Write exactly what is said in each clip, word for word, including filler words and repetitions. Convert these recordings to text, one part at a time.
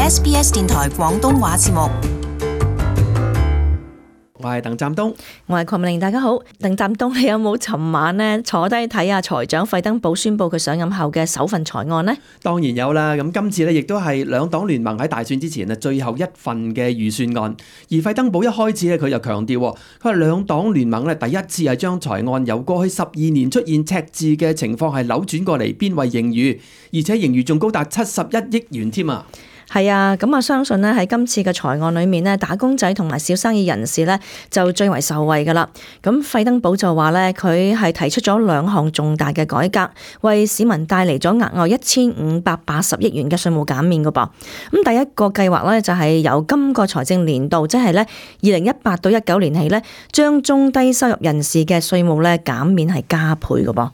S B S 電台廣東話節目。我係鄧湛東，我係鄺美玲，大家好。鄧湛東，你有冇尋晚呢坐低睇下財長費登堡宣布佢上任後嘅首份財案呢？當然有啦。咁今次呢亦都係兩黨聯盟喺大選之前啊最後一份嘅預算案。而費登堡一開始咧佢就強調，佢話兩黨聯盟咧第一次係將財案由過去十二年出現赤字嘅情況係扭轉過嚟，變為盈餘，而且盈餘仲高達七十一億元添啊！係啊，咁我相信呢喺今次嘅財案裏面呢，打工仔同埋小生意人士呢就最為受惠噶啦。咁費登堡就話呢，佢係提出咗兩項重大嘅改革，為市民帶嚟咗額外一千五百八十億元嘅稅務減免噶噃。咁第一個計劃呢，就係由今個財政年度，即係呢二零一八到一九年起呢，將中低收入人士嘅稅務呢減免係加倍噶噃。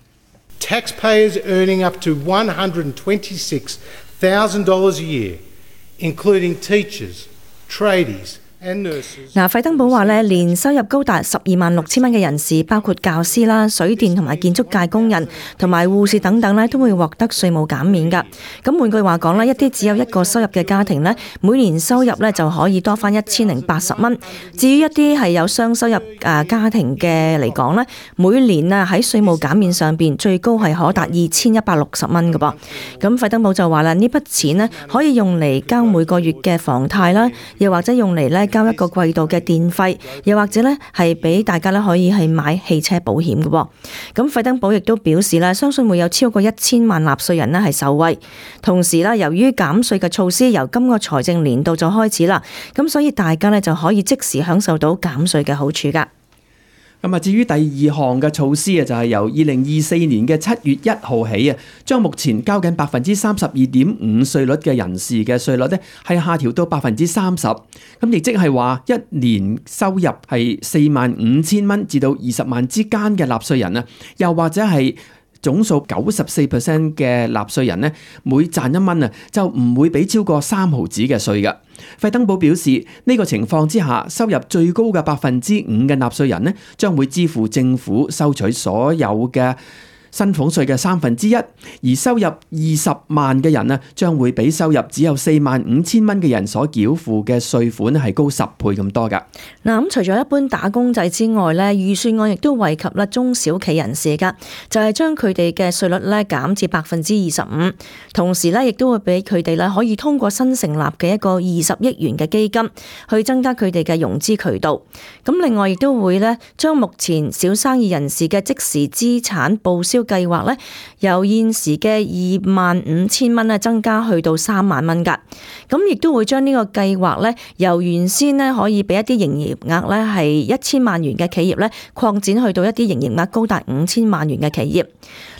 Taxpayers earning up to one hundred twenty-six thousand dollars a year.including teachers, tradies and nurses. 嗱，費登堡話咧，年收入高達十二萬六千蚊嘅人士，包括教師啦、水電同埋建築界工人同埋護士等等咧，都會獲得稅務減免㗎。咁換句話講咧，一啲只有一個收入嘅家庭咧，每年收入咧就可以多返一千零八十蚊。至於一啲係有雙收入誒家庭嘅嚟講咧，每年啊喺稅務減免上邊最高係可達二千一百六十蚊㗎噃。咁費登堡就話啦，呢筆錢咧可以用嚟交每個月嘅房貸啦，又或者用嚟咧交一個季度嘅電費，又或者咧係俾大家咧可以係買汽車保險嘅喎。咁費登堡亦都表示咧，相信會有超過一千萬納稅人咧係受惠。同時咧，由於減稅嘅措施由今個財政年度就開始啦，咁所以大家咧就可以即時享受到減稅嘅好處㗎。咁啊，至於第二項嘅措施啊，就係由二零二四年嘅七月一號起啊，將目前交緊百分之三十二點五稅率嘅人士嘅稅率咧，係下調到百分之三十。咁亦即係話，一年收入係四萬五千蚊至到二十萬之間嘅納稅人啊，又或者係總數九十四 percent 嘅納稅人呢，每賺一蚊啊，就唔會俾超過三毫子嘅稅㗎。費登堡表示，呢、這個情況之下，收入最高嘅百分之五嘅納稅人呢，將會支付政府收取所有嘅薪俸稅嘅三分之一，而收入二十萬嘅人呢，將會比收入只有四萬五千蚊嘅人所繳付嘅稅款係高十倍咁多㗎。嗱，咁除咗一般打工仔之外咧，預算案亦都惠及啦中小企人士㗎，就係將佢哋嘅稅率咧減至百分之二十五，同時咧亦都會俾佢哋咧可以通過新成立嘅一個二十億元嘅基金去增加佢哋嘅融資渠道。咁另外亦都會咧將目前小生意人士嘅即時資產報銷計劃咧，由現時嘅二萬五千蚊咧增加去到三萬蚊㗎。咁亦都會將呢個計劃咧，由原先咧可以俾一啲營業額咧係一千萬元嘅企業咧，擴展去到一啲營業額高達五千萬元嘅企業。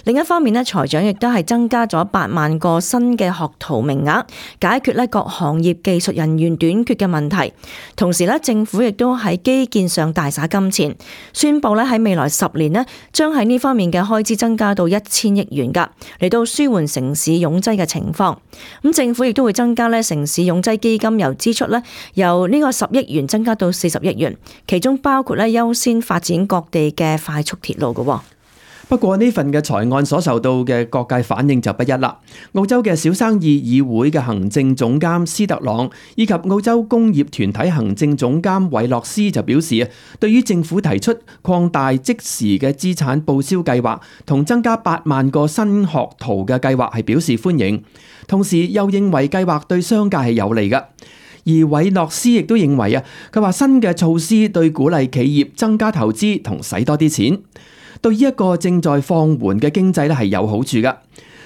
另一方面咧，財長亦都係增加咗八萬個新嘅學徒名額，解決咧各行業技術人員短缺嘅問題。同時咧，政府亦都喺基建上大灑金錢，宣布咧喺未來十年咧，將喺呢方面嘅開支增加到一千億元㗎，嚟到舒緩城市擁擠嘅情況。咁政府亦都會增加咧城市擁擠基金由支出咧由呢個十億元增加到四十億元，其中包括咧優先發展各地嘅快速鐵路㗎。不過呢份嘅財案所受到嘅各界反應就不一啦。澳洲嘅小生意議會嘅行政總監斯特朗以及澳洲工業團體行政總監韋洛斯就表示啊，對於政府提出擴大即時嘅資產報銷計劃同增加八萬個新學徒嘅計劃係表示歡迎，同時又認為計劃對商界係有利嘅。而韋洛斯亦都認為啊，佢話新嘅措施對鼓勵企業增加投資同使多啲錢，對於一個正在放緩嘅經濟咧係有好處㗎。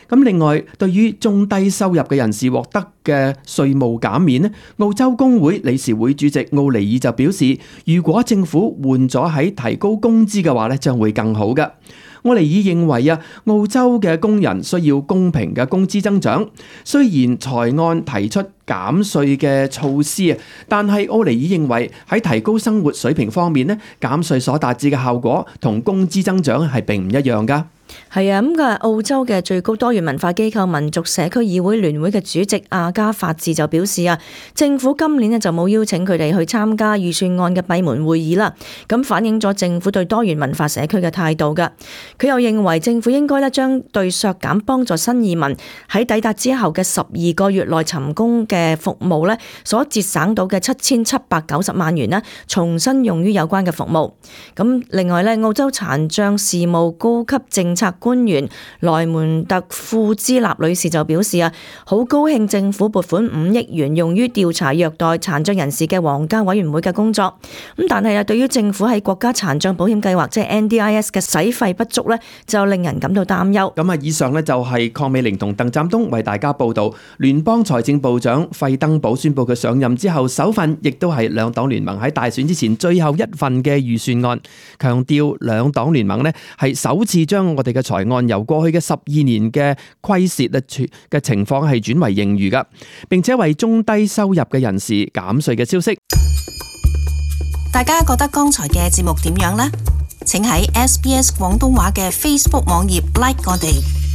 咁另外，對於中低收入嘅人士獲得嘅稅務減免咧，澳洲工會理事會主席奧尼爾就表示，如果政府換咗喺提高工資嘅話咧，將會更好㗎。奧尼爾認為啊，澳洲嘅工人需要公平嘅工資增長。雖然財案提出減稅嘅措施啊，但係奧尼爾認為喺提高生活水平方面咧，減稅所達至嘅效果同工資增長係並唔一樣㗎。係啊，咁嘅澳洲嘅最高多元文化機構民族社區議會聯會嘅主席阿加法治就表示啊，政府今年咧就冇邀請佢哋去參加預算案嘅閉門會議啦，咁反映咗政府對多元文化社區嘅態度噶。佢又認為政府應該咧將對削減幫助新移民喺抵達之後嘅十二個月內尋工嘅服務咧所節省到嘅七千七百九十萬元咧，重新用於有關嘅服務。咁另外咧，澳洲殘障事務高級政策官員萊門特庫茲納女士就表示啊，好高興政府撥款五億元用於調查虐待殘障人士嘅皇家委員會嘅工作。咁但係啊，對於政府喺國家殘障保險計劃即係 N D I S 嘅使費不足咧，就令人感到擔憂。咁啊，以上咧就係鄺美玲同鄧湛東為大家報道。聯邦財政部長費登堡宣布佢上任之後首份，亦都係兩黨聯盟喺大選之前最後一份嘅預算案，強調兩黨聯盟咧係首次將我哋嘅財案由過去嘅十二年嘅虧蝕嘅情況係轉為盈餘噶，並且為中低收入嘅人士減稅嘅消息。大家覺得剛才嘅節目點樣呢？請喺 S B S 廣東話嘅 Facebook 網頁 like 我哋。